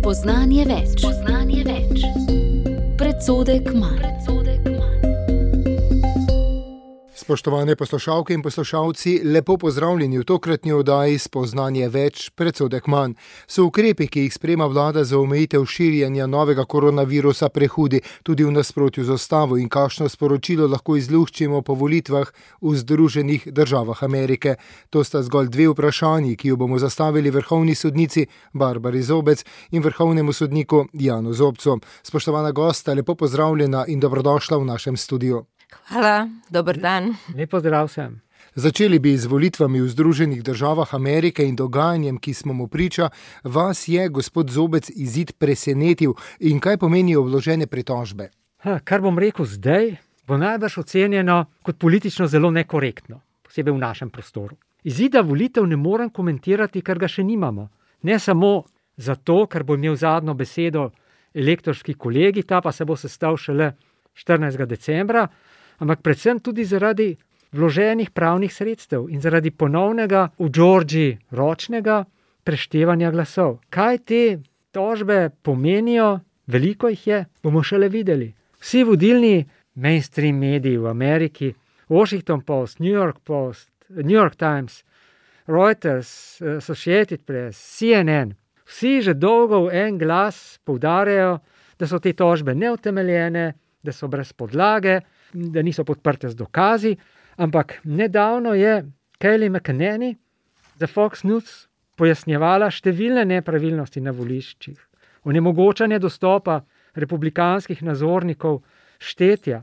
Spoznanje več. Predsodek manj. Spoštovane poslušalke in poslušalci, lepo pozdravljeni v tokratni oddaji Spoznanje več, predsodek manj. So ukrepi, ki jih sprejema vlada za omejitev širjenja novega koronavirusa, prehudi tudi v nasprotju z ustavo, in kakšno sporočilo lahko izluščimo po volitvah v Združenih državah Amerike? To sta zgolj dve vprašanji, ki jo bomo zastavili vrhovni sodnici Barbari Zobec in vrhovnemu sodniku Janu Zobcu. Spoštovana gosta, lepo pozdravljena in dobrodošla v našem studiu. Hvala, dober dan. Lep pozdrav vsem. Začeli bi z volitvami v Združenih državah Amerike in dogajanjem, ki smo mu priča. Vas je, gospod Zobec, izid presenetil in kaj pomenijo vložene pritožbe? Kar bom rekel zdaj, bo najbrž ocenjeno kot politično zelo nekorektno, posebej v našem prostoru. Izida volitev ne morem komentirati, ker ga še nimamo. Ne samo zato, ker bo imel zadnjo besedo elektorski kolegi, ta pa se bo sestal šele 14. decembra, ampak predvsem tudi zaradi vloženih pravnih sredstev in zaradi ponovnega v Georgiji ročnega preštevanja glasov. Kaj te tožbe pomenijo, veliko jih je, bomo šele videli. Vsi vodilni mainstream mediji v Ameriki, Washington Post, New York Post, New York Times, Reuters, Associated Press, CNN, vsi že dolgo v en glas poudarjajo, da so te tožbe neutemeljene, da so brez podlage, da niso podprte z dokazi, ampak nedavno je Kayleigh McEnany za Fox News pojasnjevala številne nepravilnosti na voliščih, onemogočanje dostopa republikanskih nadzornikov štetja.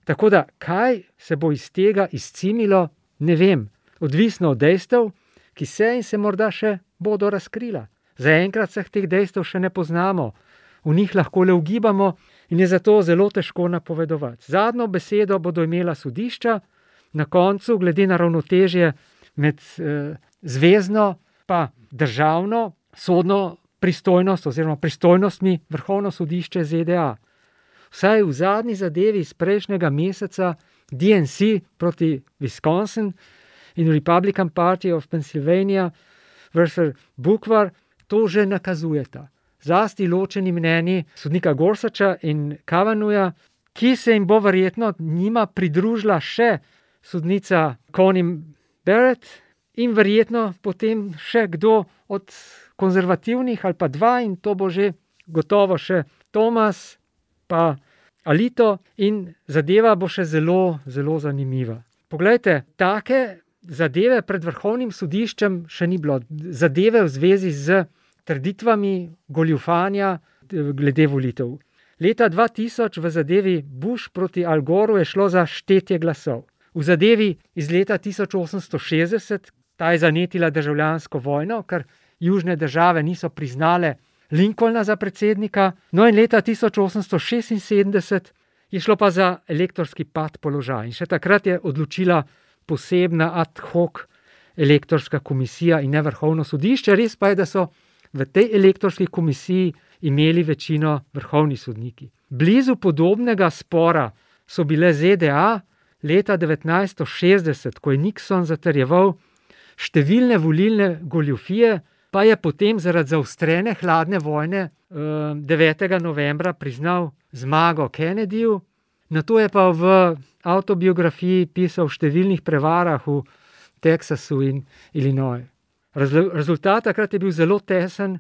Tako da, kaj se bo iz tega izcimilo, ne vem, odvisno od dejstev, ki se in se morda še bodo razkrila. Zaenkrat se teh dejstev še ne poznamo, v njih lahko le ugibamo in je zato zelo težko napovedovati. Zadnjo besedo bodo imela sodišča, na koncu, glede na ravnotežje med zvezno pa državno sodno pristojnost oziroma pristojnostmi Vrhovno sodišče ZDA. Vsaj v zadnji zadevi iz prejšnjega meseca DNC proti Wisconsin in Republican Party of Pennsylvania versus Booker to že nakazujeta. Zlasti ločeni mnenji sodnika Gorsucha in Kavanaughja, ki se jim bo verjetno njima pridružila še sodnica Coney Barrett in verjetno potem še kdo od konzervativnih ali pa dva, in to bo že gotovo še Thomas pa Alito, in zadeva bo še zelo, zelo zanimiva. Poglejte, take zadeve pred Vrhovnim sodiščem še ni bilo. Zadeve v zvezi z trditvami goljufanja glede volitev. Leta 2000 v zadevi Bush proti Al Goreu je šlo za štetje glasov. V zadevi iz leta 1860, ta je zanetila državljansko vojno, ker južne države niso priznale Lincolna za predsednika, no in leta 1876 je šlo pa za elektorski pad položaja. In še takrat je odločila posebna ad hoc elektorska komisija in ne Vrhovno sodišče. Res pa je, da so v tej elektorski komisiji imeli večino vrhovni sodniki. Blizu podobnega spora so bile ZDA leta 1960, ko je Nixon zatrjeval številne volilne goljufije, pa je potem zaradi zaostrene hladne vojne 9. novembra priznal zmago Kennedyju. Nato je pa v avtobiografiji pisal o številnih prevarah v Teksasu in Illinois. Rezultat takrat je bil zelo tesen,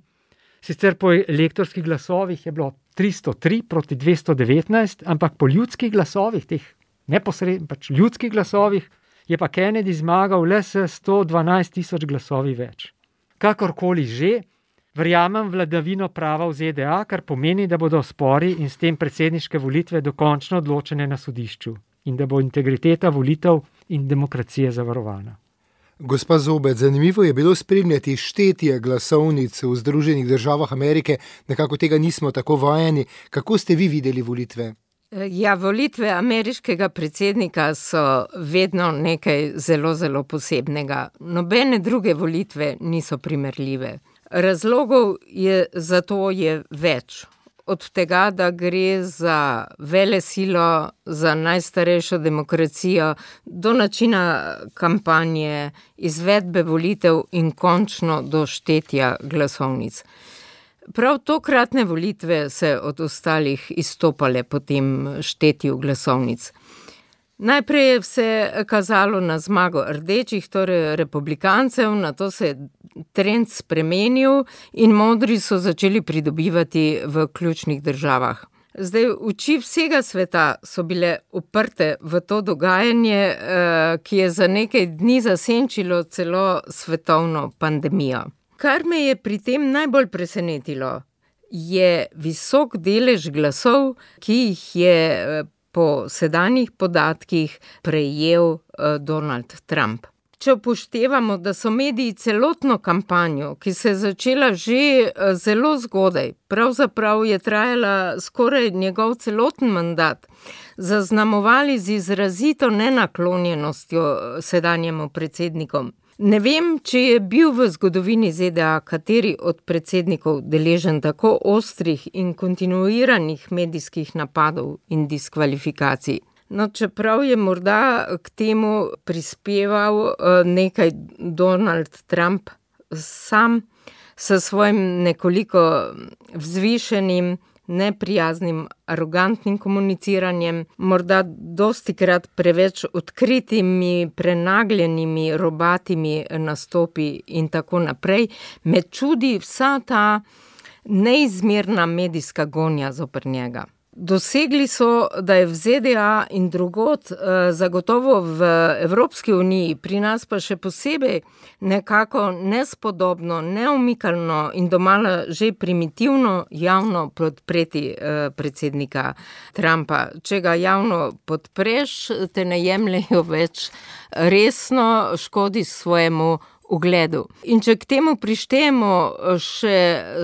sicer po elektorskih glasovih je bilo 303 proti 219, ampak po ljudskih glasovih, teh neposrednih, pač ljudskih glasovih, je pa Kennedy zmagal le s 112,000 glasovi več. Kakorkoli že, verjamem vladavino prava v ZDA, kar pomeni, da bodo spori in s tem predsedniške volitve dokončno odločene na sodišču in da bo integriteta volitev in demokracije zavarovana. Gospa Zobec, zanimivo je bilo spremljati štetje glasovnic v Združenih državah Amerike, nekako tega nismo tako vajeni. Kako ste vi videli volitve? Ja, volitve ameriškega predsednika so vedno nekaj zelo, zelo posebnega. Nobene druge volitve niso primerljive. Razlogov za to je več. Od tega, da gre za velesilo, za najstarejšo demokracijo, do načina kampanje, izvedbe volitev in končno do štetja glasovnic. Prav tokratne volitve se od ostalih izstopale po tem štetju glasovnic. Najprej je vse kazalo na zmago rdečih, torej republikancev, nato se je trend spremenil in modri so začeli pridobivati v ključnih državah. Zdaj, oči vsega sveta so bile uprte v to dogajanje, ki je za nekaj dni zasenčilo celo svetovno pandemijo. Kar me je pri tem najbolj presenetilo, je visok delež glasov, ki jih je po sedanjih podatkih prejel Donald Trump. Če upoštevamo, da so mediji celotno kampanjo, ki se je začela že zelo zgodaj, pravzaprav je trajala skoraj njegov celoten mandat, zaznamovali z izrazito nenaklonjenostjo sedanjemu predsednikom. Ne vem, če je bil v zgodovini ZDA kateri od predsednikov deležen tako ostrih in kontinuiranih medijskih napadov in diskvalifikacij. No, čeprav je morda k temu prispeval nekaj Donald Trump sam s svojim nekoliko vzvišenim, neprijaznim, arogantnim komuniciranjem, morda dostikrat preveč odkritimi, prenagljenimi, robatimi nastopi in tako naprej, me čudi vsa ta neizmerna medijska gonja zoper njega. Dosegli so, da je v ZDA in drugod, zagotovo v Evropski uniji, pri nas pa še posebej nekako nespodobno, neomikalno in domala že primitivno javno podpreti predsednika Trumpa. Če ga javno podpreš, te ne jemljejo več resno, škodi svojemu ugledu. In če k temu prištejemo še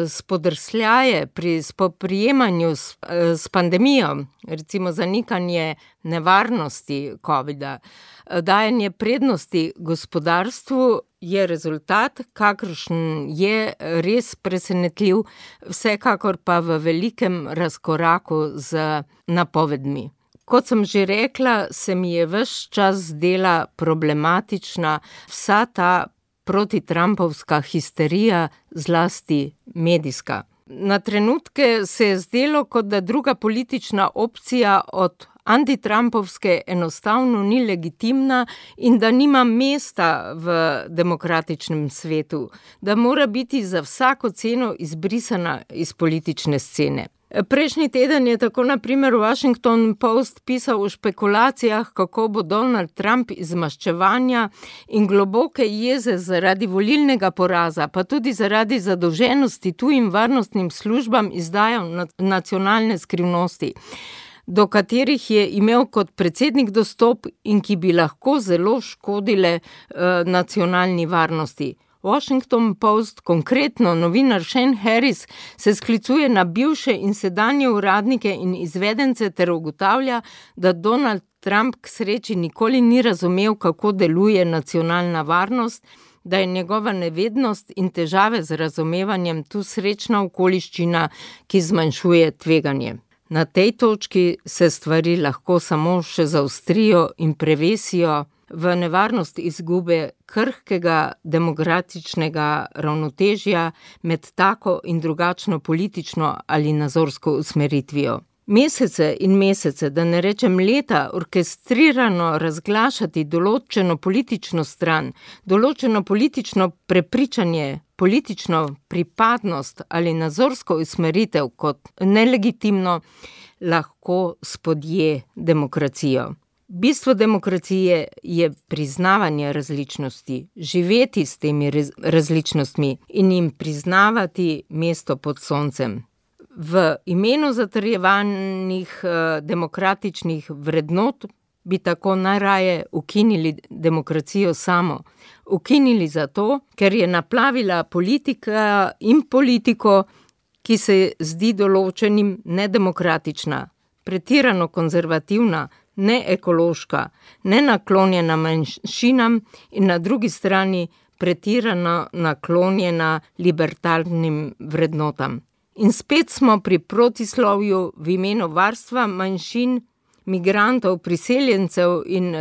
spodrsljaje pri spoprijemanju s pandemijo, recimo zanikanje nevarnosti covida, dajanje prednosti gospodarstvu, je rezultat, kakršen je res presenetljiv, vsekakor pa v velikem razkoraku z napovedmi. Kot sem že rekla, se mi je ves čas zdela problematična vsa ta protitrampovska histerija, zlasti medijska. Na trenutke se je zdelo, kot da druga politična opcija od antitrampovske enostavno ni legitimna in da nima mesta v demokratičnem svetu, da mora biti za vsako ceno izbrisana iz politične scene. Prejšnji teden je tako na primer Washington Post pisal o špekulacijah, kako bo Donald Trump iz maščevanja in globoke jeze zaradi volilnega poraza, pa tudi zaradi zadolženosti tujim varnostnim službam izdajal nacionalne skrivnosti, do katerih je imel kot predsednik dostop in ki bi lahko zelo škodile nacionalni varnosti. Washington Post, konkretno novinar Shane Harris, se sklicuje na bivše in sedanje uradnike in izvedence ter ugotavlja, da Donald Trump k sreči nikoli ni razumel, kako deluje nacionalna varnost, da je njegova nevednost in težave z razumevanjem tu srečna okoliščina, ki zmanjšuje tveganje. Na tej točki se stvari lahko samo še zaostrijo in prevesijo v nevarnost izgube krhkega demokratičnega ravnotežja med tako in drugačno politično ali nazorsko usmeritvijo. Mesece in mesece, da ne rečem leta, orkestrirano razglašati določeno politično stran, določeno politično prepričanje, politično pripadnost ali nazorsko usmeritev kot nelegitimno, lahko spodje demokracijo. Bistvo demokracije je priznavanje različnosti, živeti s temi različnostmi in jim priznavati mesto pod soncem. V imenu zatrjevanih demokratičnih vrednot bi tako najraje ukinili demokracijo samo. Ukinili zato, ker je naplavila politika in politiko, ki se zdi določenim nedemokratična, pretirano konzervativna, neekološka, nenaklonjena manjšinam in na drugi strani pretirano naklonjena libertarnim vrednotam. In spet smo pri protislovju v imenu varstva manjšin, migrantov, priseljencev in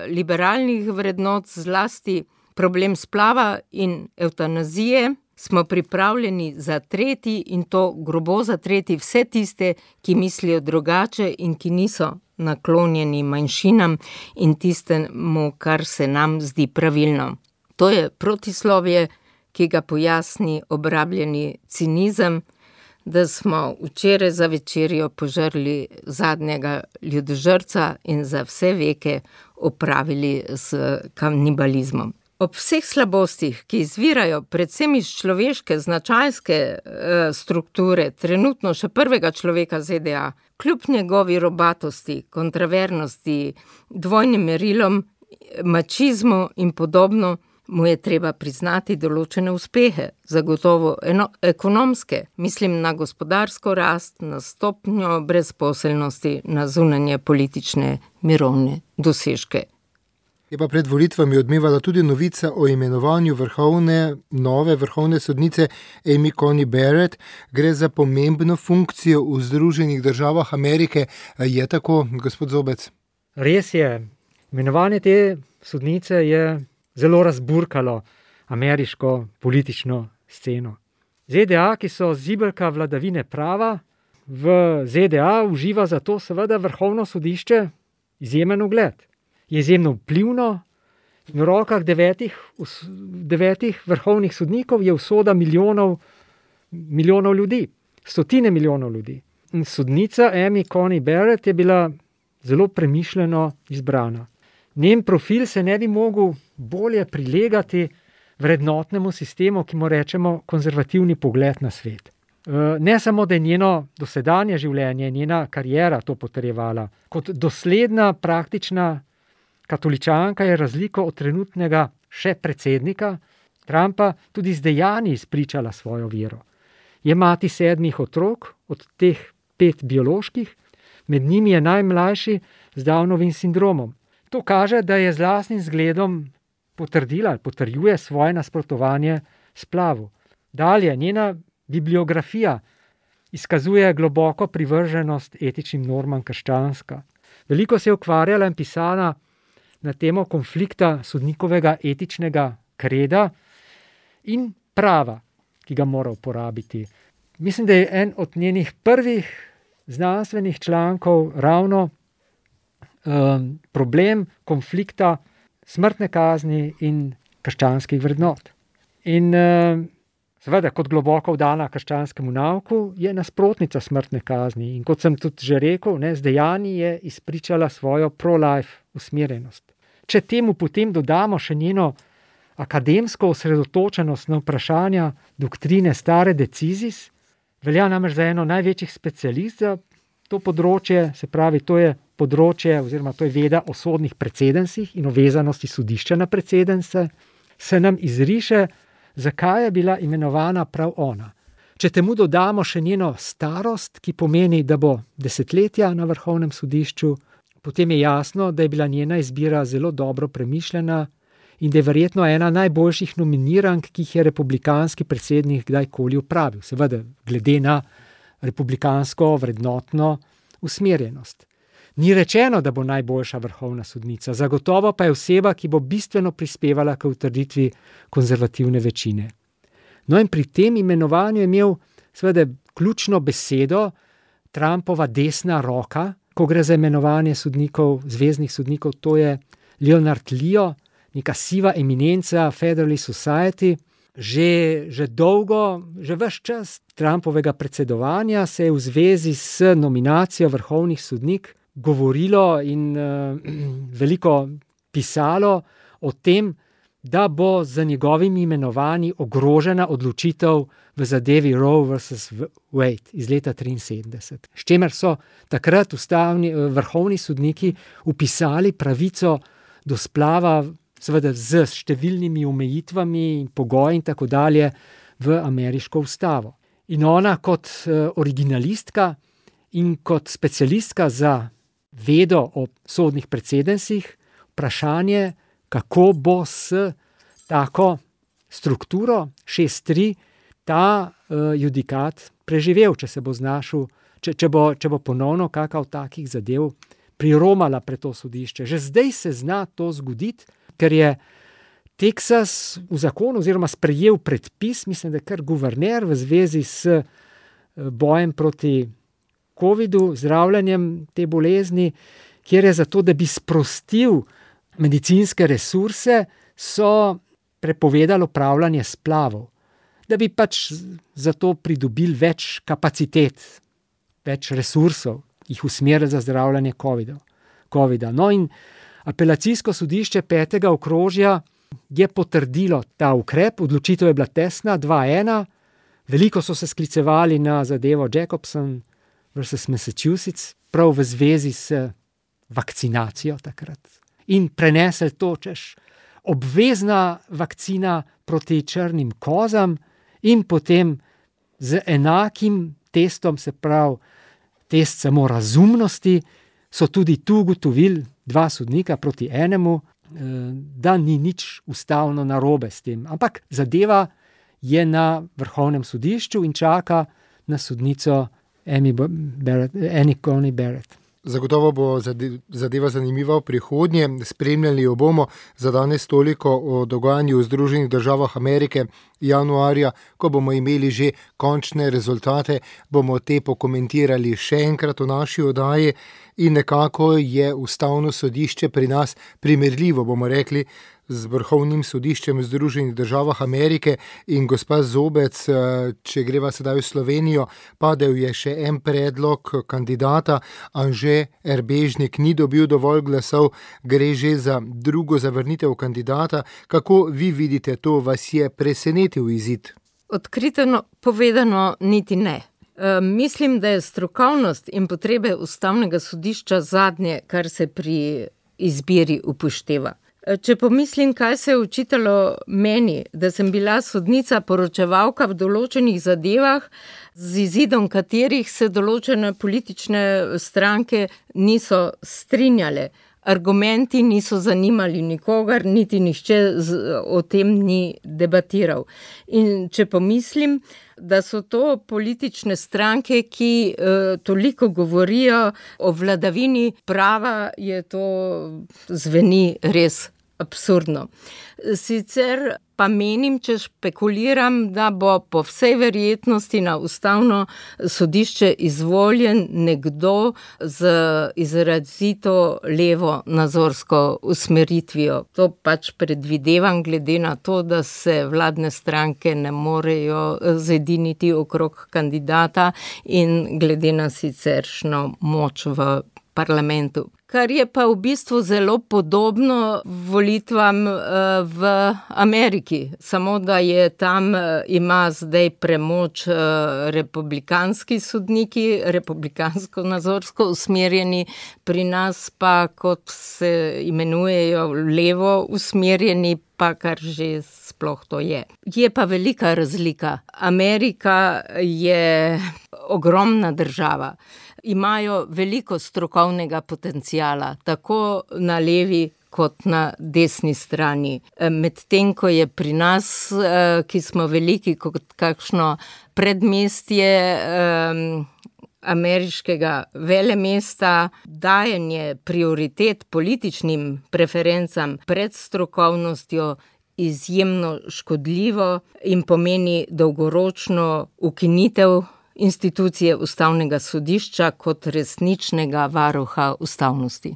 liberalnih vrednot, zlasti problem splava in evtanazije, smo pripravljeni zatreti in to grobo zatreti vse tiste, ki mislijo drugače in ki niso naklonjeni manjšinam in tistemu, kar se nam zdi pravilno. To je protislovje, ki ga pojasni obrabljeni cinizem, da smo včeraj za večerjo požrli zadnjega ljudožrca in za vse veke opravili s kanibalizmom. Ob vseh slabostih, ki izvirajo predvsem iz človeške značajske strukture, trenutno še prvega človeka ZDA, kljub njegovi robatosti, kontravernosti, dvojnim merilom, mačizmu in podobno, mu je treba priznati določene uspehe, zagotovo ekonomske, mislim na gospodarsko rast, na stopnjo brezposelnosti, na zunanje politične mirovne dosežke. Je pa pred volitvami odmevala tudi novica o imenovanju nove vrhovne sodnice Amy Coney Barrett. Gre za pomembno funkcijo v Združenih državah Amerike. Je tako, gospod Zobec? Res je. Imenovanje te sodnice je zelo razburkalo ameriško politično sceno. ZDA, ki so zibelka vladavine prava, v ZDA uživa zato seveda vrhovno sodišče izjemen ugled. Je izjemno vplivno, v rokah devetih vrhovnih sodnikov je usoda milijonov ljudi, stotine milijonov ljudi. In sodnica Amy Coney Barrett je bila zelo premišljeno izbrana. Njen profil se ne bi mogel bolje prilegati vrednotnemu sistemu, ki mu rečemo konzervativni pogled na svet. Ne samo, da je njeno dosedanje življenje, njena kariera to potrjevala, kot dosledna praktična katoličanka je razliko od trenutnega še predsednika Trumpa tudi z dejanji izpričala svojo vero. Je mati 7 otrok, od teh 5 bioloških, med njimi je najmlajši z Downovim sindromom. To kaže, da je z lastnim zgledom potrjuje svoje nasprotovanje splavu. Dalje, njena bibliografija izkazuje globoko privrženost etičnim normam krščanska. Veliko se je ukvarjala in pisala na temo konflikta sodnikovega etičnega kreda in prava, ki ga mora uporabiti. Mislim, da je en od njenih prvih znanstvenih člankov ravno problem konflikta smrtne kazni in krščanskih vrednot. In seveda, kot globoko vdana krščanskemu nauku, je nasprotnica smrtne kazni. In kot sem tudi že rekel, z dejanji je izpričala svojo pro-life usmerjenost. Če temu potem dodamo še njeno akademsko osredotočenost na vprašanja doktrine stare decisis, velja namreč za eno največjih specialist za to področje, se pravi, to je področje oziroma to je veda o sodnih precedensih in o vezanosti sodišča na precedence, se nam izriše, zakaj je bila imenovana prav ona. Če temu dodamo še njeno starost, ki pomeni, da bo desetletja na vrhovnem sodišču, potem je jasno, da je bila njena izbira zelo dobro premišljena in da je verjetno ena najboljših nominirank, ki jih je republikanski predsednik kdajkoli opravil, seveda glede na republikansko vrednotno usmerjenost. Ni rečeno, da bo najboljša vrhovna sodnica, zagotovo pa je oseba, ki bo bistveno prispevala k utrditvi konzervativne večine. No in pri tem imenovanju je imel seveda ključno besedo Trumpova desna roka, ko gre za imenovanje sodnikov, zvezdnih sodnikov, to je Leonard Leo, neka siva eminenca Federalist Society. Že dolgo, že ves čas Trumpovega predsedovanja se je v zvezi s nominacijo vrhovnih sodnik govorilo in veliko pisalo o tem, da bo z njegovimi imenovanji ogrožena odločitev v zadevi Roe vs. Wade iz leta 1973. S čimer so takrat vrhovni sodniki vpisali pravico do splava, seveda z številnimi omejitvami in pogoji in tako dalje v ameriško ustavo. In ona kot originalistka in kot specialistka za vedo o sodnih precedensih, vprašanje, kako bo s tako strukturo 6:3 ta judikat preživel, če se bo znašel, če bo ponovno kakav takih zadev priromala pred to sodišče. Že zdaj se zna to zgoditi, ker je Teksas v zakonu oziroma sprejel predpis, mislim, da je kar guverner v zvezi s bojem proti covidu, zdravljenjem te bolezni, kjer je zato, da bi sprostil medicinske resurse, so prepovedali upravljanje splavov, da bi pač zato pridobili več kapacitet, več resursov, jih usmerili za zdravljanje covida. No in apelacijsko sodišče 5. okrožja je potrdilo ta ukrep, odločitev je bila tesna, 2-1, veliko so se sklicevali na zadevo Jacobson versus Massachusetts, prav v zvezi s vakcinacijo takrat. In prenesli to, češ obvezna vakcina proti črnim kozam in potem z enakim testom, se pravi test samo razumnosti, so tudi tu ugotovili 2 sodnika proti enemu, da ni nič ustavno narobe s tem. Ampak zadeva je na Vrhovnem sodišču in čaka na sodnico Annie Coney Barrett. Zagotovo bo zadeva zanimiva v prihodnje. Spremljali jo bomo. Za danes toliko o dogajanju v Združenih državah Amerike januarja, ko bomo imeli že končne rezultate, bomo te pokomentirali še enkrat v naši oddaji in nekako je Ustavno sodišče pri nas primerljivo, bomo rekli, z Vrhovnim sodiščem v Združenih državah Amerike. In gospa Zobec, če greva sedaj v Slovenijo, padel je še en predlog kandidata, Anže Erbežnik ni dobil dovolj glasov, gre že za drugo zavrnitev kandidata. Kako vi vidite to, vas je presenetil izid? Odkrito povedano, niti ne. Mislim, da je strokovnost in potrebe Ustavnega sodišča zadnje, kar se pri izbiri upošteva. Če pomislim, kaj se je očitalo meni, da sem bila sodnica poročevalka v določenih zadevah, z izidom katerih se določene politične stranke niso strinjale. Argumenti niso zanimali nikogar, niti nihče o tem ni debatiral. In če pomislim, da so to politične stranke, ki toliko govorijo o vladavini prava, je to zveni res absurdno. Sicer pa menim, če špekuliram, da bo po vsej verjetnosti na Ustavno sodišče izvoljen nekdo z izrazito levo nazorsko usmeritvijo. To pač predvidevam glede na to, da se vladne stranke ne morejo zediniti okrog kandidata in glede na siceršno moč v parlamentu. Kar je pa v bistvu zelo podobno volitvam v Ameriki, samo da je tam ima zdaj premoč republikanski sodniki, republikansko nazorsko usmerjeni, pri nas pa, kot se imenujejo, levo usmerjeni, pa kar že sploh to je. Je pa velika razlika. Amerika je ogromna država. Imajo veliko strokovnega potenciala, tako na levi kot na desni strani. Medtem ko je pri nas, ki smo veliki kot kakšno predmestje ameriškega velemesta, dajanje prioritet političnim preferencam pred strokovnostjo izjemno škodljivo in pomeni dolgoročno ukinitev institucije Ustavnega sodišča kot resničnega varuha ustavnosti.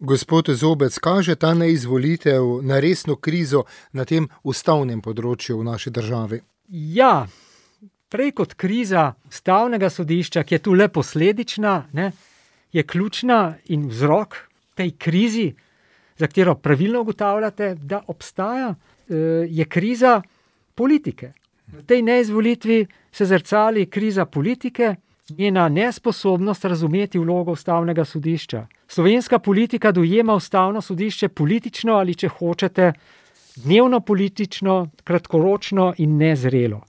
Gospod Zobec, kaže ta neizvolitev na resno krizo na tem ustavnem področju v naši državi? Ja, prej kot kriza Ustavnega sodišča, ki je tu le posledična, je ključna in vzrok tej krizi, za katero pravilno ugotavljate, da obstaja, je kriza politike. V tej neizvolitvi se zrcali kriza politike, njena nesposobnost razumeti vlogo Ustavnega sodišča. Slovenska politika dojema Ustavno sodišče politično ali, če hočete, dnevno politično, kratkoročno in nezrelo.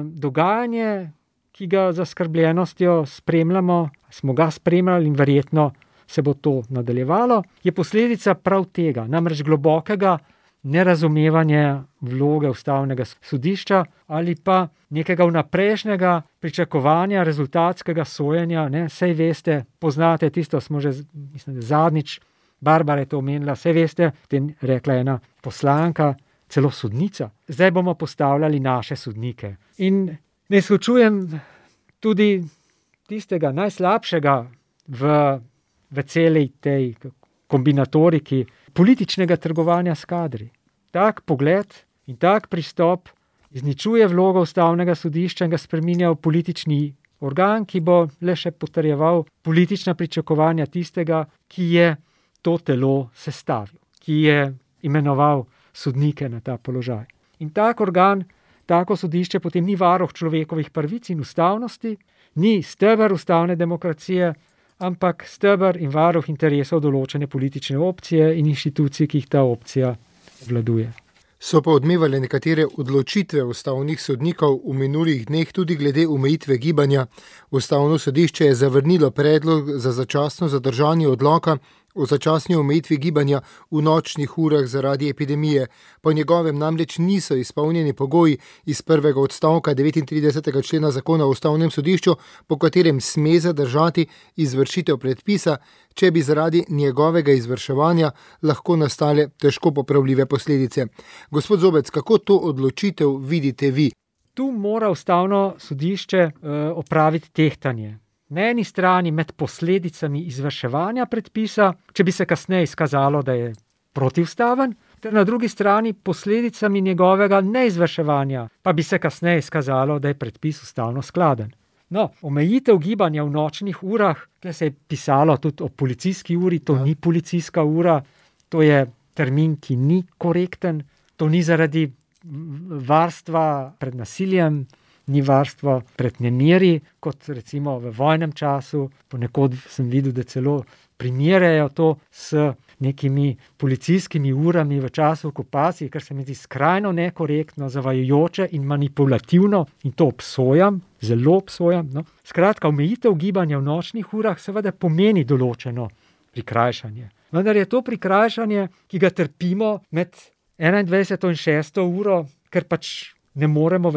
Dogajanje, ki ga z zaskrbljenostjo spremljamo, smo ga spremljali in verjetno se bo to nadaljevalo, je posledica prav tega, namreč globokega nerazumevanja vloge Ustavnega sodišča ali pa nekega vnaprejšnjega pričakovanja rezultatskega sojenja. Saj veste, poznate tisto, smo že mislim, zadnjič, Barbara je to omenila, saj veste, rekla ena poslanka, celo sodnica. Zdaj bomo postavljali naše sodnike. In ne izključujem tudi tistega najslabšega v celej tej kombinatoriki političnega trgovanja s kadri. Tak pogled in tak pristop izničuje vlogo ustavnega sodišča in ga spreminja v politični organ, ki bo le še potrjeval politična pričakovanja tistega, ki je to telo sestavil, ki je imenoval sodnike na ta položaj. In tak organ, tako sodišče potem ni varuh človekovih pravic in ustavnosti, ni steber ustavne demokracije, ampak steber in varuh interesov določene politične opcije in inštitucij, ki jih ta opcija obvladuje. So pa odmevale nekatere odločitve ustavnih sodnikov v minulih dneh tudi glede omejitve gibanja. Ustavno sodišče je zavrnilo predlog za začasno zadržanje odloka o začasni omejitvi gibanja v nočnih urah zaradi epidemije. Po njegovem namreč niso izpolnjeni pogoji iz prvega odstavka 39. člena zakona o ustavnem sodišču, po katerem sme zadržati izvršitev predpisa, če bi zaradi njegovega izvrševanja lahko nastale težko popravljive posledice. Gospod Zobec, kako to odločitev vidite vi? Tu mora ustavno sodišče opraviti tehtanje. Na eni strani med posledicami izvrševanja predpisa, če bi se kasneje izkazalo, da je protiustaven, ter na drugi strani posledicami njegovega neizvrševanja, pa bi se kasneje izkazalo, da je predpis ustavno skladen. No, omejitev gibanja v nočnih urah, tukaj se je pisalo tudi o policijski uri, to ni policijska ura, to je termin, ki ni korekten, to ni zaradi varstva pred nasiljem, ni varstvo pred nemiri, kot recimo v vojnem času. Ponekod sem videl, da celo primerjajo to s nekimi policijskimi urami v času okupacije, kar se mi zdi skrajno nekorektno, zavajajoče in manipulativno, in to obsojam, zelo obsojam. No. Skratka, omejitev gibanja v nočnih urah seveda pomeni določeno prikrajšanje. Vendar je to prikrajšanje, ki ga trpimo med 21. in 6. uro, ker pač ne moremo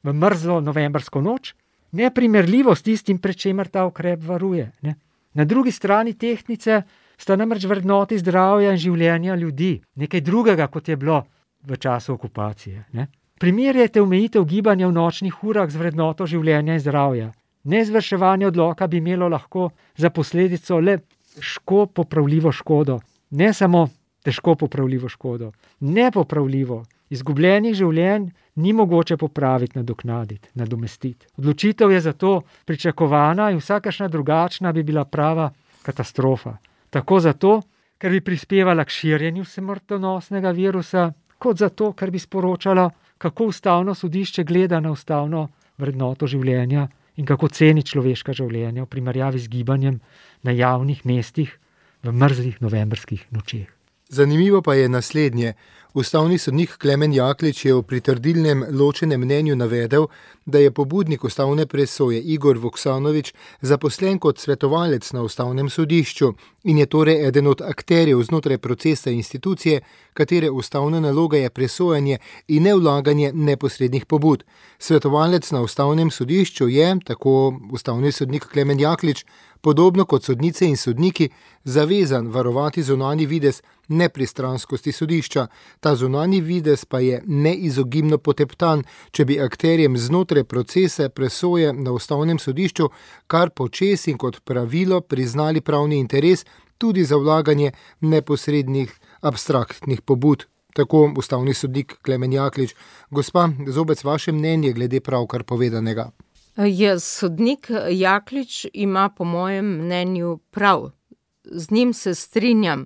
v mrzlo novembrsko noč, neprimerljivo s tistim, pred čemer ta ukrep varuje. Ne? Na drugi strani tehtnice sta namreč vrednoti zdravja in življenja ljudi, nekaj drugega, kot je bilo v času okupacije. Ne? Primerjajte omejitev gibanja v nočnih urah z vrednoto življenja in zdravja. Neizvrševanje odloka bi imelo lahko za posledico le težko popravljivo škodo. Ne samo težko popravljivo škodo, nepopravljivo. Izgubljenih življenj ni mogoče popraviti, nadoknaditi, nadomestiti. Odločitev je zato pričakovana in vsakašna drugačna bi bila prava katastrofa. Tako zato, ker bi prispevala k širjenju smrtonosnega virusa, kot zato, ker bi sporočala, kako ustavno sodišče gleda na ustavno vrednoto življenja in kako ceni človeška življenja v primerjavi z gibanjem na javnih mestih v mrzlih novembrskih nočeh. Zanimivo pa je naslednje. Ustavni sodnik Klemen Jaklič je v pritrdilnem ločenem mnenju navedel, da je pobudnik ustavne presoje Igor Voksanovič zaposlen kot svetovalec na ustavnem sodišču in je torej eden od akterjev znotraj procesa institucije, katere ustavna naloga je presojanje in ne vlaganje neposrednih pobud. Svetovalec na ustavnem sodišču je, tako ustavni sodnik Klemen Jaklič, podobno kot sodnice in sodniki, zavezan varovati zunanji videz nepristranskosti sodišča. Ta zunanji videz pa je neizogibno poteptan, če bi akterjem znotraj procesa presoje na ustavnem sodišču kar počez in kot pravilo priznali pravni interes tudi za vlaganje neposrednih abstraktnih pobud. Tako ustavni sodnik Klemen Jaklič. Gospa Zobec, vaše mnenje glede pravkar povedanega? Sodnik Jaklič ima po mojem mnenju prav. Z njim se strinjam.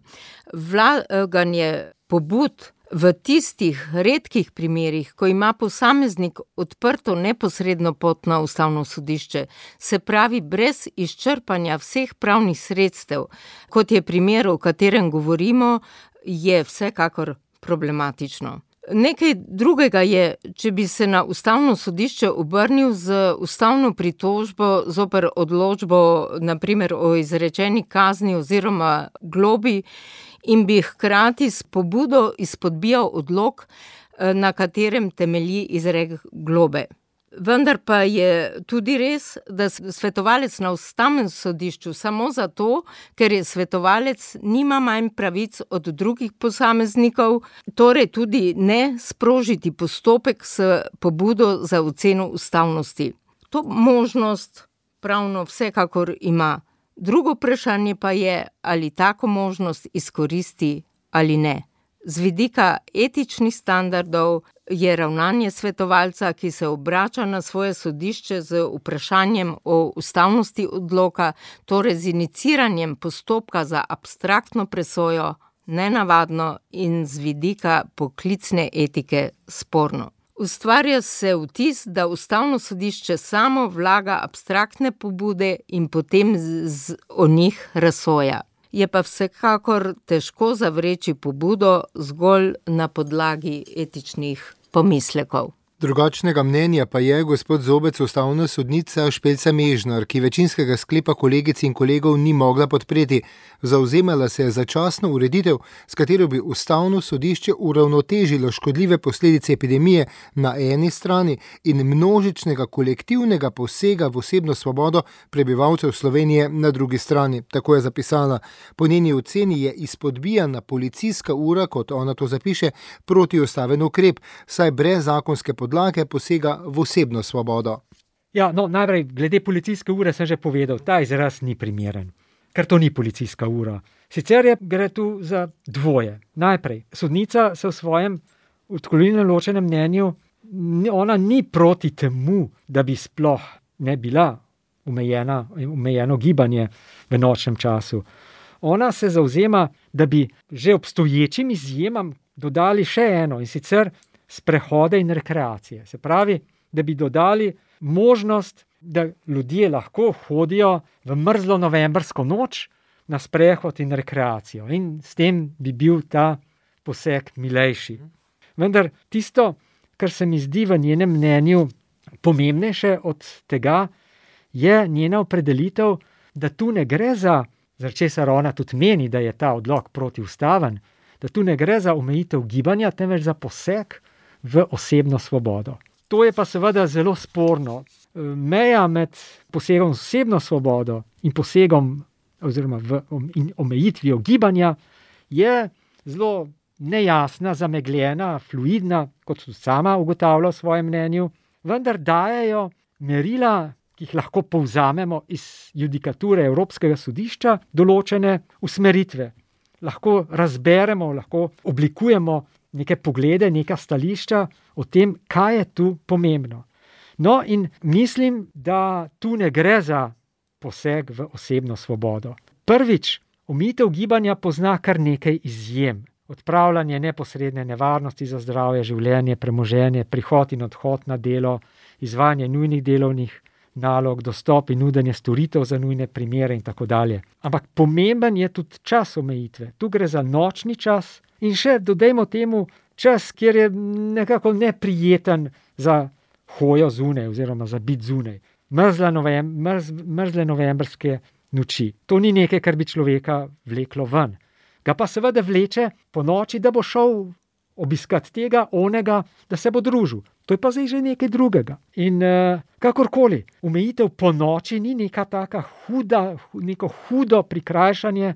Vlaganje pobud v tistih redkih primerih, ko ima posameznik odprto neposredno pot na ustavno sodišče, se pravi brez izčrpanja vseh pravnih sredstev, kot je primer, o katerem govorimo, je vsekakor problematično. Nekaj drugega je, če bi se na ustavno sodišče obrnil z ustavno pritožbo zoper odločbo, naprimer o izrečeni kazni oziroma globi, in bi hkrati s pobudo izpodbijal odlok, na katerem temelji izrek globe. Vendar pa je tudi res, da svetovalec na Ustavnem sodišču samo zato, ker je svetovalec, nima manj pravic od drugih posameznikov, torej tudi ne sprožiti postopek s pobudo za oceno ustavnosti. To možnost pravno vsekakor ima. Drugo vprašanje pa je, ali tako možnost izkoristi ali ne. Z vidika etičnih standardov je ravnanje svetovalca, ki se obrača na svoje sodišče z vprašanjem o ustavnosti odloka, torej z iniciranjem postopka za abstraktno presojo, nenavadno in z vidika poklicne etike sporno. Ustvarja se vtis, da Ustavno sodišče samo vlaga abstraktne pobude in potem o njih razsoja. Je pa vsekakor težko zavreči pobudo zgolj na podlagi etičnih pomislekov. Drugačnega mnenja pa je gospod Zobec ustavna sodnica Špelca Mežnar, ki večinskega sklepa kolegic in kolegov ni mogla podpreti. Zavzemala se je za začasno ureditev, s katero bi Ustavno sodišče uravnotežilo škodljive posledice epidemije na eni strani in množičnega kolektivnega posega v osebno svobodo prebivalcev Slovenije na drugi strani. Tako je zapisala. Po njeni oceni je izpodbijana policijska ura, kot ona to zapiše, protiustaven ukrep, saj brez zakonske podlage posega v osebno svobodo. Ja, najprej, glede policijske ure sem že povedal, ta izraz ni primeren, ker to ni policijska ura. Sicer gre tu za dvoje. Najprej, sodnica se v svojem odklonilnem ločenem mnenju, ona ni proti temu, da bi sploh ne bila omejeno gibanje v nočnem času. Ona se zavzema, da bi že obstoječim izjemam dodali še eno, in sicer sprehode in rekreacije. Se pravi, da bi dodali možnost, da ljudje lahko hodijo v mrzlo novembrsko noč na sprehod in rekreacijo. In s tem bi bil ta poseg milejši. Vendar tisto, kar se mi zdi v njenem mnenju pomembnejše od tega, je njena opredelitev, da tu ne gre za česar ona tudi meni, da je ta odlok protiustaven, da tu ne gre za omejitev gibanja, temveč za poseg v osebno svobodo. To je pa seveda zelo sporno. Meja med posegom v osebno svobodo in posegom oziroma in omejitvijo gibanja je zelo nejasna, zamegljena, fluidna, kot tudi sama ugotavlja v svojem mnenju, vendar dajejo merila, ki jih lahko povzamemo iz judikature Evropskega sodišča, določene usmeritve. Lahko razberemo, lahko oblikujemo neke poglede, neka stališča o tem, kaj je tu pomembno. No, in mislim, da tu ne gre za poseg v osebno svobodo. Prvič, omejitev gibanja pozna kar nekaj izjem. Odpravljanje neposredne nevarnosti za zdravje, življenje, premoženje, prihod in odhod na delo, izvajanje nujnih delovnih nalog, dostop in nudenje storitev za nujne primere in tako dalje. Ampak pomemben je tudi čas omejitve. Tu gre za nočni čas in še dodajmo temu čas, kjer je nekako neprijeten za hojo zunaj oziroma za biti zunaj. Mrzle novembrske noči. To ni nekaj, kar bi človeka vleklo ven. Ga pa seveda vleče po noči, da bo šel obiskati tega, onega, da se bo družil. To je pa zdaj že nekaj drugega. In kakorkoli, omejitev po noči ni neka taka neko hudo prikrajšanje,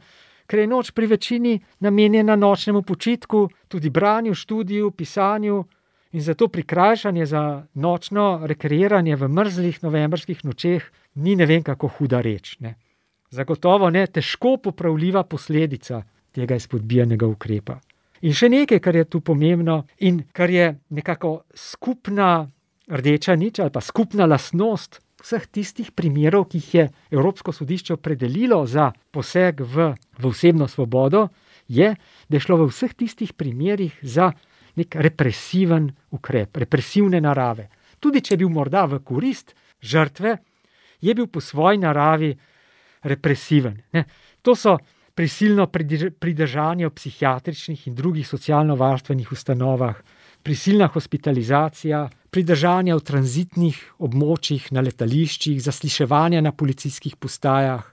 ker je noč pri večini namenjena nočnemu počitku, tudi branju, študiju, pisanju, in zato prikrajšanje za nočno rekreiranje v mrzlih novembrskih nočeh ni ne vem kako huda reč. Ne. Zagotovo ne težko popravljiva posledica tega izpodbijanega ukrepa. In še nekaj, kar je tu pomembno in kar je nekako skupna rdeča nič ali pa skupna lastnost vseh tistih primerov, ki jih je Evropsko sodišče opredelilo za poseg v osebno svobodo, je, da je šlo v vseh tistih primerih za nek represiven ukrep, represivne narave. Tudi če je bil morda v korist žrtve, je bil po svoji naravi represiven. Ne? To so prisilno pridržanje v psihiatričnih in drugih socialno-varstvenih ustanovah, prisilna hospitalizacija, pridržanje v tranzitnih območjih na letališčih, zasliševanja na policijskih postajah,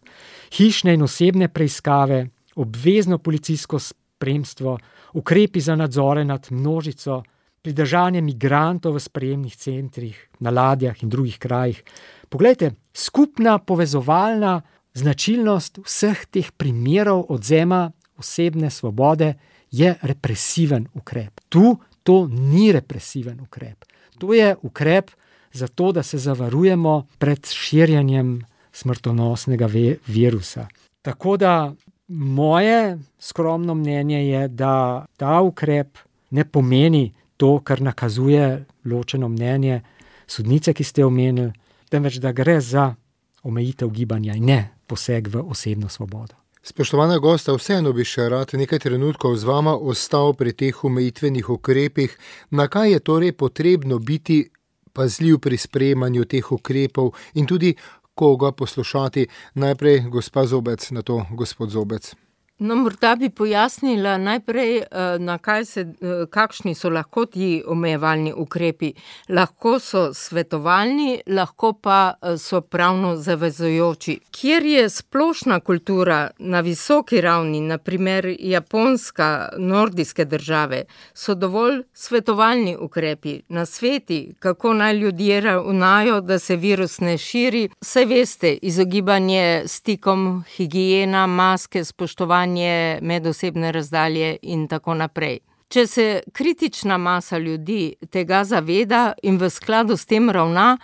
hišne in osebne preiskave, obvezno policijsko spremstvo, ukrepi za nadzore nad množico, pridržanje migrantov v sprejemnih centrih, na ladjah in drugih krajih. Poglejte, skupna povezovalna značilnost vseh teh primerov odvzema osebne svobode je represiven ukrep. Tu to ni represiven ukrep. To je ukrep za to, da se zavarujemo pred širjenjem smrtonosnega virusa. Tako da moje skromno mnenje je, da ta ukrep ne pomeni to, kar nakazuje ločeno mnenje sodnice, ki ste omenili, temveč da gre za omejitev gibanja in ne poseg v osebno svobodo. Spoštovana gosta, vseeno bi še rad nekaj trenutkov z vama ostal pri teh omejitvenih ukrepih. Na kaj je torej potrebno biti pazljiv pri sprejemanju teh ukrepov in tudi koga poslušati? Najprej gospa Zobec, nato gospod Zobec. No, morda bi pojasnila najprej, kakšni so lahko ti omejevalni ukrepi. Lahko so svetovalni, lahko pa so pravno zavezujoči. Kjer je splošna kultura na visoki ravni, na primer Japonska, nordijske države, so dovolj svetovalni ukrepi, nasveti, kako naj ljudje ravnajo, da se virus ne širi. Saj veste, izogibanje stikom, higiena, maske, spoštovanje medosebne razdalje in tako naprej. Če se kritična masa ljudi tega zaveda in v skladu s tem ravna,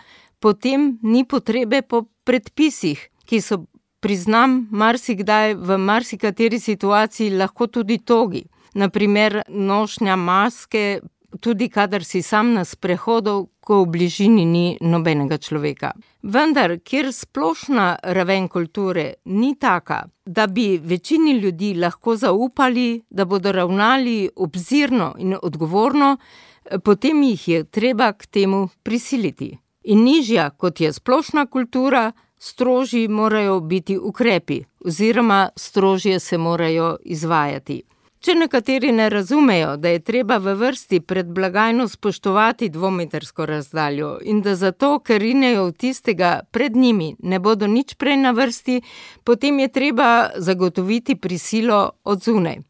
potem ni potrebe po predpisih, ki so, priznam, marsikdaj v marsikateri situaciji lahko tudi togi. Na primer, nošnja maske, tudi kadar si sam na sprehodu, ko v bližini ni nobenega človeka. Vendar, kjer splošna raven kulture ni taka, da bi večini ljudi lahko zaupali, da bodo ravnali obzirno in odgovorno, potem jih je treba k temu prisiliti. In nižja, kot je splošna kultura, strožji morajo biti ukrepi, oziroma strožje se morajo izvajati. Če nekateri ne razumejo, da je treba v vrsti pred blagajno spoštovati 2-metrsko razdaljo in da zato, ker rinejo v tistega pred njimi, ne bodo nič prej na vrsti, potem je treba zagotoviti prisilo od zunaj.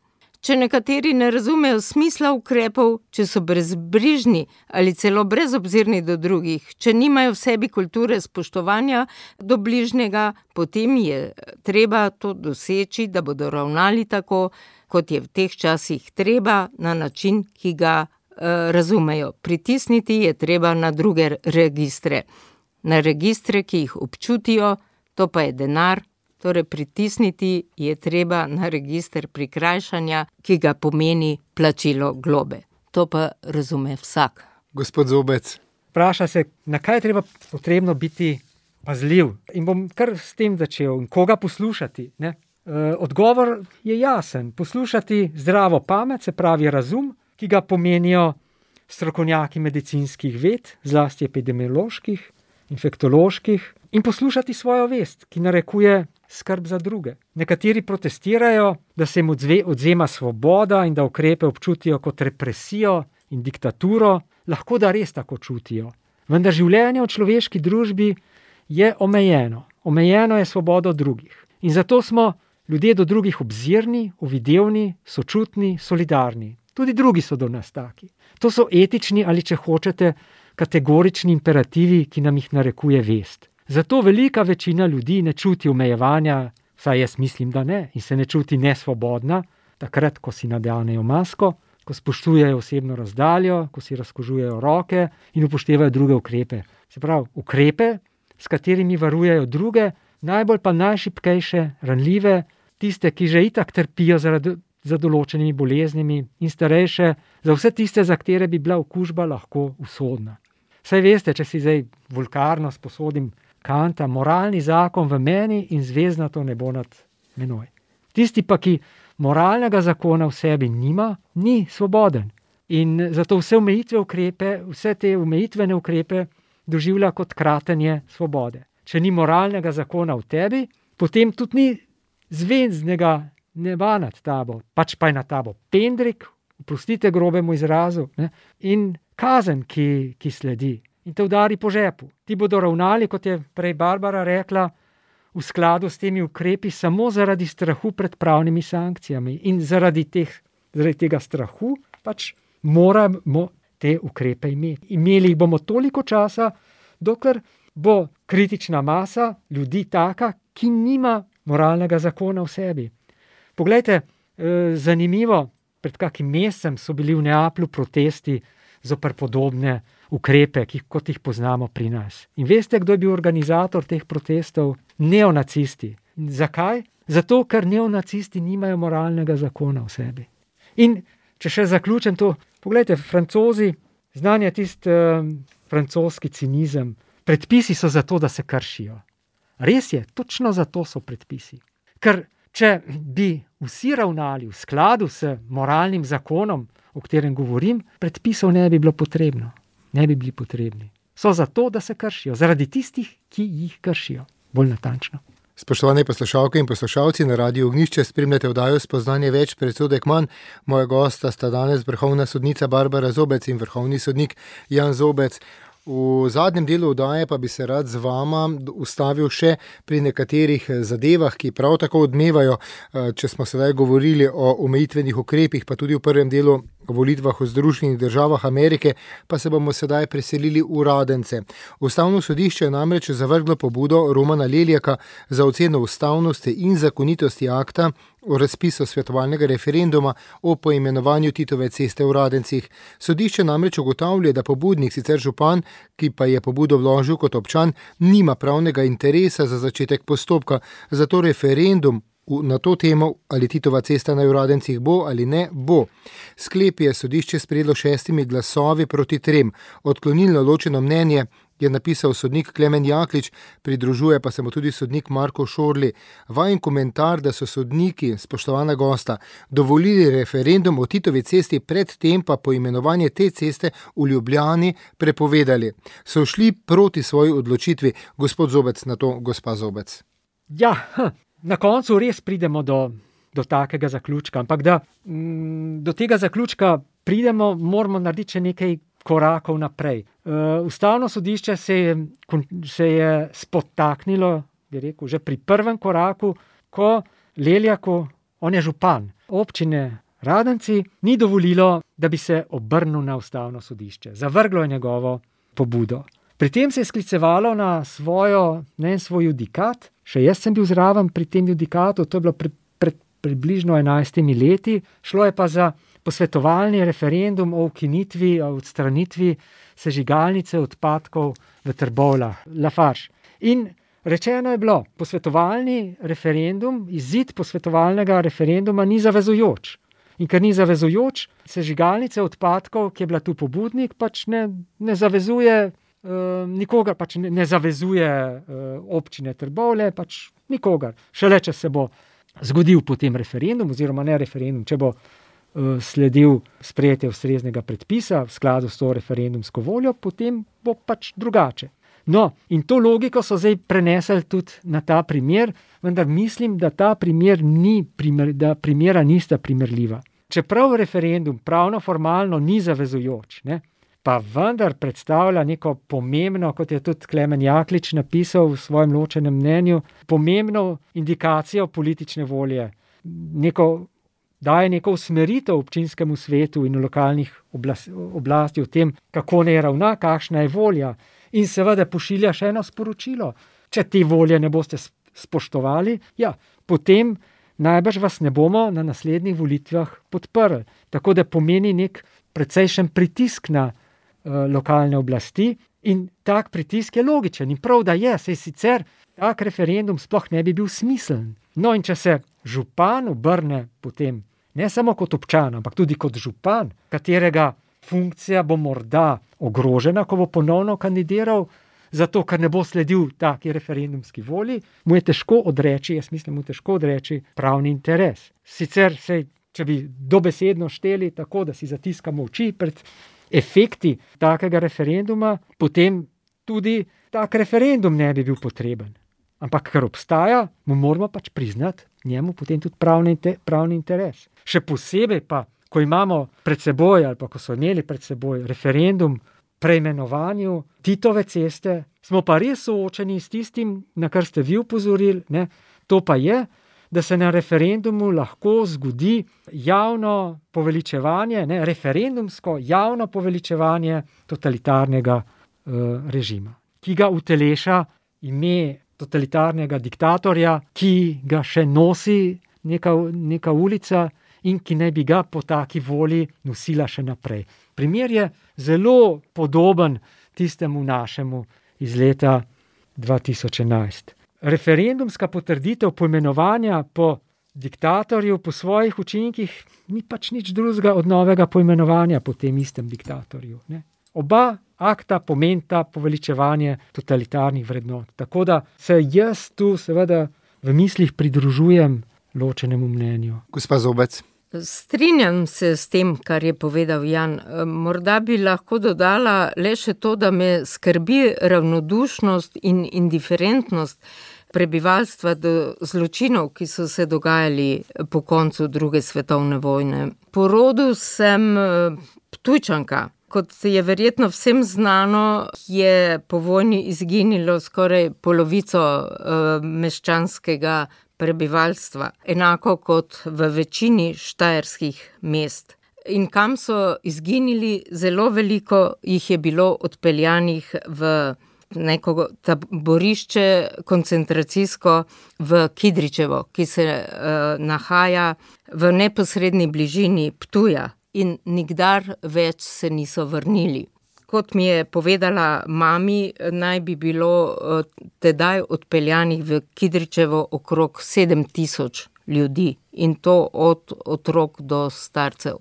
Če nekateri ne razumejo smisla ukrepov, če so brezbrižni ali celo brezobzirni do drugih, če nimajo v sebi kulture spoštovanja do bližnjega, potem je treba to doseči, da bodo ravnali tako, kot je v teh časih treba, na način, ki ga razumejo. Pritisniti je treba na druge registre. Na registre, ki jih občutijo, to pa je denar. Torej, pritisniti je treba na register prikrajšanja, ki ga pomeni plačilo globe. To pa razume vsak. Gospod Zobec. Vpraša se, na kaj je potrebno biti pazljiv. In bom kar s tem začel. Koga poslušati, ne? Odgovor je jasen. Poslušati zdravo pamet, se pravi razum, ki ga pomenijo strokovnjaki medicinskih ved, zlasti epidemioloških, infektoloških, in poslušati svojo vest, ki narekuje skrb za druge. Nekateri protestirajo, da se jim odvzema svoboda in da ukrepe občutijo kot represijo in diktaturo. Lahko da res tako čutijo. Vendar življenje v človeški družbi je omejeno. Omejeno je svobodo drugih. In zato smo ljudje do drugih obzirni, uvidevni, sočutni, solidarni. Tudi drugi so do nas taki. To so etični ali, če hočete, kategorični imperativi, ki nam jih narekuje vest. Zato velika večina ljudi ne čuti omejevanja, vsaj jaz mislim, da ne, in se ne čuti nesvobodna, takrat, ko si nadenejo masko, ko spoštujejo osebno razdaljo, ko si razkožujejo roke in upoštevajo druge ukrepe. Se pravi, ukrepe, s katerimi varujejo druge, najbolj pa najšibkejše, ranljive, tiste, ki že itak trpijo za določenimi boleznimi, in starejše, za vse tiste, za katere bi bila okužba lahko usodna. Saj veste, če si zdaj vulgarno sposodim Kanta, moralni zakon v meni in zvezdnato nebo nad menoj. Tisti pa, ki moralnega zakona v sebi nima, ni svoboden. In zato vse te omejitvene ukrepe doživlja kot kratenje svobode. Če ni moralnega zakona v tebi, potem tudi ni zvezdnega neba nad tabo, pač pa je nad tabo pendrik, oprostite grobemu izrazu, ne? In kazen, ki sledi in te udari po žepu. Ti bodo ravnali, kot je prej Barbara rekla, v skladu s temi ukrepi samo zaradi strahu pred pravnimi sankcijami. In zaradi tega strahu pač moramo te ukrepe imeti. Imeli jih bomo toliko časa, dokler bo kritična masa ljudi taka, ki nima moralnega zakona v sebi. Poglejte, zanimivo, pred kakim mesecem so bili v Neaplju protesti zoper podobne ukrepe, kot jih poznamo pri nas. In veste, kdo je bil organizator teh protestov? Neonacisti. Zakaj? Zato, ker neonacisti nimajo moralnega zakona v sebi. In če še zaključim to, poglejte, Francozi, znan je tisti francoski cinizem, predpisi so zato, da se kršijo. Res je, točno zato so predpisi. Ker če bi vsi ravnali v skladu s moralnim zakonom, o katerem govorim, predpisov ne bi bilo potrebno. Ne bi bili potrebni. So zato, da se kršijo. Zaradi tistih, ki jih kršijo. Bolj natančno. Spoštovane poslušalke in poslušalci, na Radiu Ognjišče spremljate oddajo Spoznanje več, predsodek manj. Moja gosta sta danes vrhovna sodnica Barbara Zobec in vrhovni sodnik Jan Zobec. V zadnjem delu oddaje pa bi se rad z vama ustavil še pri nekaterih zadevah, ki prav tako odmevajo, če smo sedaj govorili o omejitvenih ukrepih, pa tudi v prvem delu o volitvah v Združenih državah Amerike, pa se bomo sedaj preselili v Radence. Ustavno sodišče je namreč zavrglo pobudo Romana Leljaka za oceno ustavnosti in zakonitosti akta o razpisu svetovalnega referenduma o poimenovanju Titove ceste v Radencih. Sodišče namreč ugotavlja, da pobudnik, sicer župan, ki pa je pobudo vložil kot občan, nima pravnega interesa za začetek postopka, zato referendum na to temo, ali Titova cesta na Radencih bo ali ne bo. Sklep je sodišče sprejelo 6 glasovi proti 3. Odklonilno ločeno mnenje je napisal sodnik Klemen Jaklič, pridružuje pa se mu tudi sodnik Marko Šorli. Vajen komentar, da so sodniki, spoštovana gosta, dovolili referendum o Titovi cesti, predtem pa poimenovanje te ceste v Ljubljani prepovedali. So šli proti svoji odločitvi. Gospod Zobec, na to gospa Zobec. Ja, na koncu res pridemo do takega zaključka, ampak da do tega zaključka pridemo, moramo narediti še nekaj korakov naprej. Ustavno sodišče se je spotaknilo, bi rekel, že pri prvem koraku, ko Leljaku, on je župan občine Radenci, ni dovolilo, da bi se obrnil na ustavno sodišče. Zavrglo je njegovo pobudo. Pri tem se je sklicevalo na svoj judikat. Še jaz sem bil zraven pri tem judikatu, to je bilo pred približno 11 leti. Šlo je pa za posvetovalni referendum o ukinitvi, o odstranitvi sežigalnice odpadkov v Trbovljah, Lafarge. In rečeno je bilo, posvetovalni referendum, izid posvetovalnega referenduma ni zavezujoč. In ker ni zavezujoč, sežigalnice odpadkov, ki je bila tu pobudnik, pač ne zavezuje nikogar, pač ne zavezuje občine Trbovlje, pač nikogar. Šele, če se bo zgodil potem referendum, oziroma ne referendum, če bo sledil sprejetje ustreznega predpisa v skladu s to referendumsko voljo, potem bo pač drugače. No, in to logiko so zdaj prenesli tudi na ta primer, vendar mislim, da ta primer da primera nista primerljiva. Čeprav referendum pravno formalno ni zavezujoč, ne, pa vendar predstavlja neko pomembno, kot je tudi Klemen Jaklič napisal v svojem ločenem mnenju, pomembno indikacijo politične volje, daje neko usmeritev občinskemu svetu in lokalnih oblasti o tem, kako ne ravna, kakšna je volja, in seveda pošilja še eno sporočilo. Če te volje ne boste spoštovali, potem najbrž vas ne bomo na naslednjih volitvah podprli. Tako da pomeni nek precejšen pritisk na lokalne oblasti in tak pritisk je logičen in prav, da je, saj sicer tak referendum sploh ne bi bil smiseln. No, in če se župan obrne potem, ne samo kot občan, ampak tudi kot župan, katerega funkcija bo morda ogrožena, ko bo ponovno kandidiral, zato ker ne bo sledil taki referendumski volji, mu je težko odreči, pravni interes. Sicer če bi dobesedno šteli tako, da si zatiskamo oči pred efekti takega referenduma, potem tudi tak referendum ne bi bil potreben. Ampak ker obstaja, mu moramo pač priznati njemu potem tudi pravni interes. Še posebej pa, ko imamo pred seboj ali pa ko so imeli pred seboj referendum preimenovanju Titove ceste, smo pa res soočeni s tistim, na kar ste vi upozorili, ne? To pa je, da se na referendumu lahko zgodi javno poveličevanje, referendumsko javno poveličevanje totalitarnega režima, ki ga uteleša ime totalitarnega diktatorja, ki ga še nosi neka ulica in ki naj bi ga po taki volji nosila še naprej. Primer je zelo podoben tistemu našemu iz leta 2011. Referendumska potrditev poimenovanja po diktatorju po svojih učinkih ni pač nič drugega od novega poimenovanja po tem istem diktatorju. Ne? Oba akta pomenita poveličevanje totalitarnih vrednot. Tako da se jaz tu seveda v mislih pridružujem ločenemu mnenju. Gospa Zobec. Strinjam se s tem, kar je povedal Jan. Morda bi lahko dodala le še to, da me skrbi ravnodušnost in indiferentnost prebivalstva do zločinov, ki so se dogajali po koncu druge svetovne vojne. Po rodu sem Ptujčanka. Kot je verjetno vsem znano, je po vojni izginilo skoraj polovico meščanskega prebivalstva, enako kot v večini štajerskih mest. In kam so izginili, zelo veliko jih je bilo odpeljanih v neko taborišče koncentracijsko v Kidričevo, ki se nahaja v neposredni bližini Ptuja in nikdar več se niso vrnili. Kot mi je povedala mami, naj bi bilo tedaj odpeljanih v Kidričevo okrog 7,000 ljudi in to od otrok do starcev,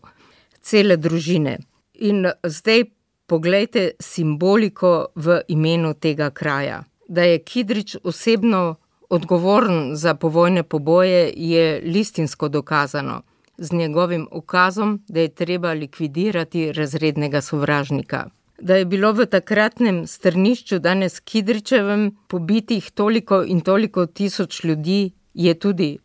cele družine. In zdaj poglejte simboliko v imenu tega kraja. Da je Kidrič osebno odgovoren za povojne poboje, je listinsko dokazano z njegovim ukazom, da je treba likvidirati razrednega sovražnika. Da je bilo v takratnem strnišču, danes Kidričevem, pobitih toliko in toliko tisoč ljudi, je tudi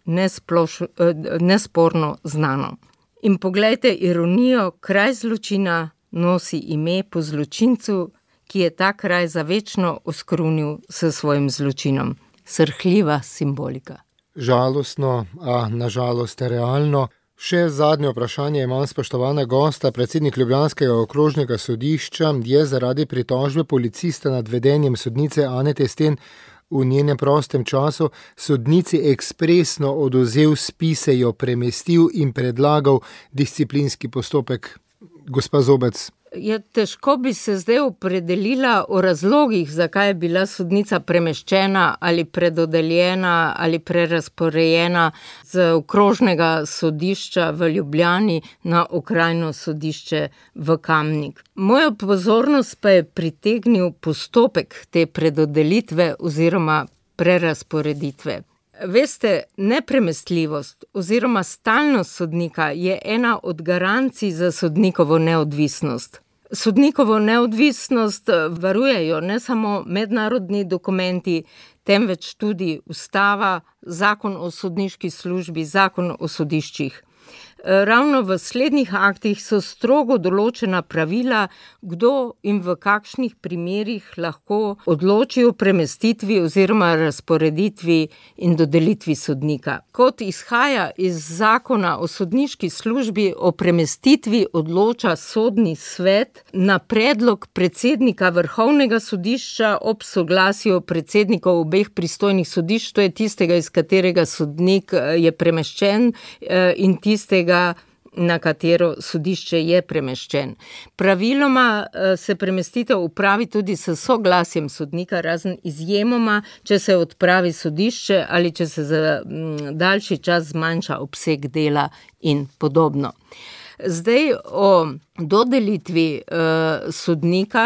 nesporno znano. In poglejte ironijo, kraj zločina nosi ime po zločincu, ki je ta kraj zavečno oskrunil s svojim zločinom. Srhljiva simbolika. Žalostno, a nažalost realno. Še zadnje vprašanje imam, spoštovana gosta. Predsednik ljubljanskega okrožnega sodišča je zaradi pritožbe policista nad vedenjem sodnice Anete Sten v njenem prostem času sodnici ekspresno odvzel spise, jo premestil in predlagal disciplinski postopek. Gospa Zobec. Težko bi se zdaj opredelila o razlogih, zakaj je bila sodnica premeščena ali predodeljena ali prerazporejena z okrožnega sodišča v Ljubljani na okrajno sodišče v Kamnik. Mojo pozornost pa je pritegnil postopek te predodelitve oziroma prerazporeditve. Veste, nepremestljivost oziroma stalnost sodnika je ena od garancij za sodnikovo neodvisnost. Sodnikovo neodvisnost varujejo ne samo mednarodni dokumenti, temveč tudi ustava, zakon o sodniški službi, zakon o sodiščih. Ravno v slednjih aktih so strogo določena pravila, kdo in v kakšnih primerih lahko odloči o premestitvi oziroma razporeditvi in dodelitvi sodnika. Kot izhaja iz zakona o sodniški službi, o premestitvi odloča sodni svet na predlog predsednika Vrhovnega sodišča ob soglasju predsednikov obeh pristojnih sodišč, to je tistega, iz katerega sodnik je premeščen in tistega, na katero sodišče je premeščen. Praviloma se premestitev upravi tudi s soglasjem sodnika, razen izjemoma, če se odpravi sodišče ali če se za daljši čas zmanjša obseg dela in podobno. Zdaj o dodelitvi sodnika,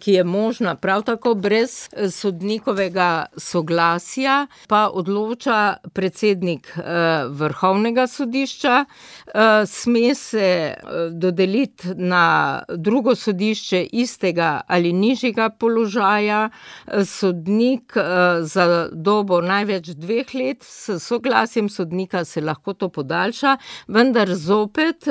ki je možna prav tako brez sodnikovega soglasja, pa odloča predsednik Vrhovnega sodišča. Sme se dodeliti na drugo sodišče istega ali nižjega položaja. Sodnik za dobo največ 2 let, s soglasjem sodnika se lahko to podaljša, vendar zopet,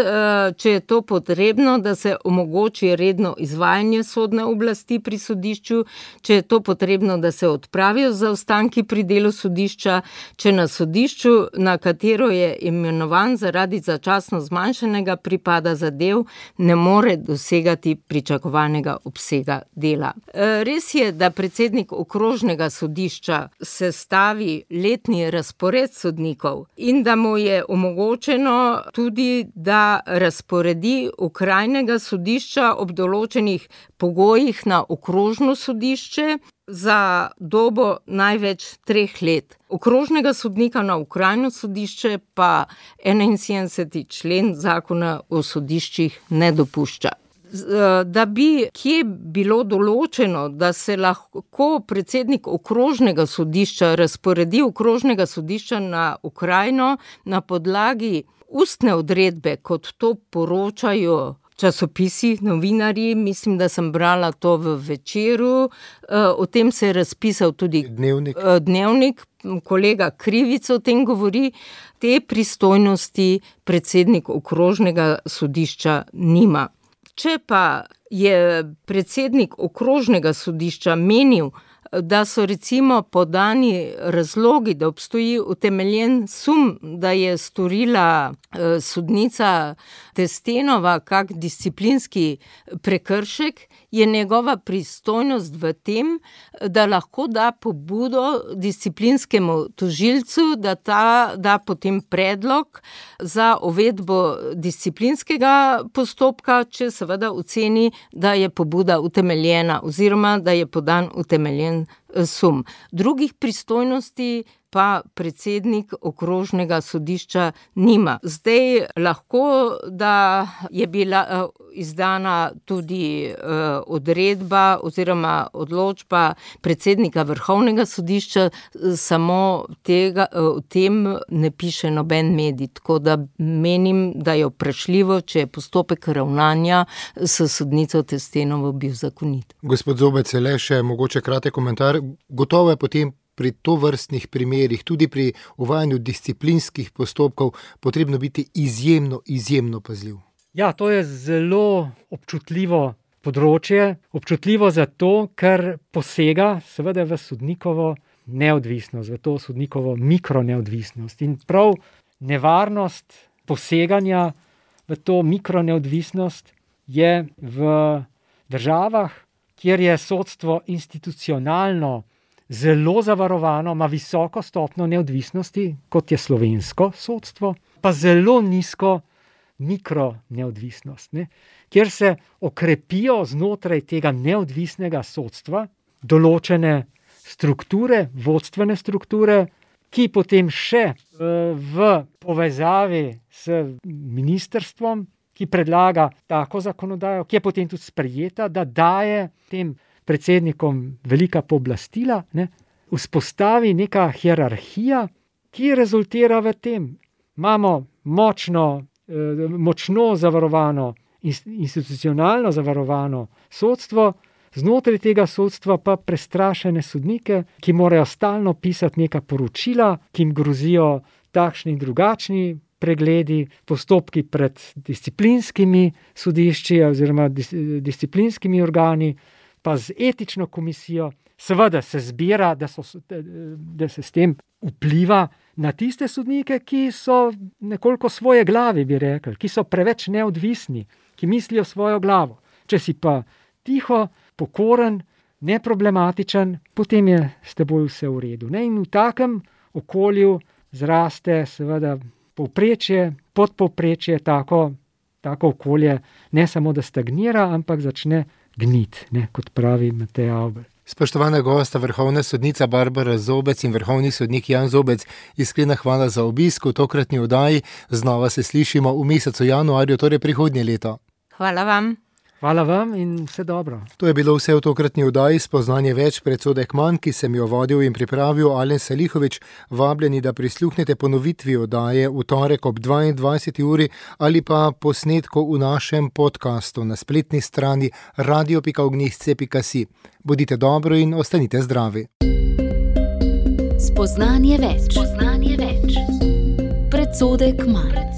če je to potrebno, potrebno, da se omogoči redno izvajanje sodne oblasti pri sodišču, če je to potrebno, da se odpravijo zaostanki pri delu sodišča, če na sodišču, na katero je imenovan zaradi začasno zmanjšanega pripada zadev, ne more dosegati pričakovanega obsega dela. Res je, da predsednik okrožnega sodišča sestavi letni razpored sodnikov in da mu je omogočeno tudi, da razporedi okrajnega sodišča ob določenih pogojih na okrožno sodišče za dobo največ 3 let. Okrožnega sodnika na okrajno sodišče pa 71. člen zakona o sodiščih ne dopušča. Da bi kje bilo določeno, da se lahko predsednik okrožnega sodišča razporedi okrožnega sodišča na okrajno na podlagi ustne odredbe, kot to poročajo časopisi, novinarji, mislim, da sem brala to v Večeru, o tem se je razpisal tudi Dnevnik, kolega Krivic o tem govori, te pristojnosti predsednik okrožnega sodišča nima. Če pa je predsednik okrožnega sodišča menil, da so recimo podani razlogi, da obstoji utemeljen sum, da je storila sodnica Testenova kak disciplinski prekršek, je njegova pristojnost v tem, da lahko da pobudo disciplinskemu tožilcu, da ta da potem predlog za uvedbo disciplinskega postopka, če seveda oceni, da je pobuda utemeljena oziroma da je podan utemeljen sum. Drugih pristojnosti pa predsednik okrožnega sodišča nima. Zdaj lahko, da je bila izdana tudi odredba oziroma odločba predsednika Vrhovnega sodišča, samo o tem ne piše noben medij, tako da menim, da je vprašljivo, če je postopek ravnanja s sodnico Testenovo bil zakonit. Gospod Zobec, le še mogoče kratek komentar. Gotovo je potem pri tovrstnih primerih, tudi pri uvajanju disciplinskih postopkov, potrebno biti izjemno pazljiv. Ja, to je zelo občutljivo področje. Občutljivo zato, ker posega seveda v sodnikovo neodvisnost, v to sodnikovo mikroneodvisnost. In prav nevarnost poseganja v to mikroneodvisnost je v državah, kjer je sodstvo institucionalno zelo zavarovano, ima visoko stopnjo neodvisnosti, kot je slovensko sodstvo, pa zelo nizko mikroneodvisnost, kjer se okrepijo znotraj tega neodvisnega sodstva določene strukture, vodstvene strukture, ki potem še v povezavi s ministrstvom, ki predlaga tako zakonodajo, ki je potem tudi sprejeta, da daje tem predsednikom velika pooblastila, vzpostavi neka hierarhija, ki rezultira v tem. Imamo močno zavarovano, institucionalno zavarovano sodstvo, znotraj tega sodstva pa prestrašene sodnike, ki morajo stalno pisati neka poročila, ki jim grozijo takšni in drugačni pregledi, postopki pred disciplinskimi sodišči oziroma disciplinskimi organi, pa z etično komisijo. Seveda se zbira, da se s tem vpliva na tiste sodnike, ki so nekoliko svoje glavi, bi rekli, ki so preveč neodvisni, ki mislijo svojo glavo. Če si pa tiho, pokoren, neproblematičen, potem je s teboj vse v redu. In v takem okolju zraste seveda povprečje, podpovprečje, tako okolje ne samo da stagnira, ampak začne gnit, kot pravi Matej Avbelj. Spoštovana gosta, vrhovna sodnica Barbara Zobec in vrhovni sodnik Jan Zobec, iskrena hvala za obisk v tokratni oddaji. Znova se slišimo v mesecu januarju, torej prihodnje leto. Hvala vam. Hvala vam in vse dobro. To je bilo vse v tokratni oddaji Spoznanje več, predsodek manj, ki sem jo vodil in pripravil Alen Salihovič. Vabljeni, da prisluhnete ponovitvi oddaje v torek ob 22. uri ali pa posnetku v našem podkastu na spletni strani radio.ognihce.si. Bodite dobro in ostanite zdravi. Spoznanje več. Predsodek manj.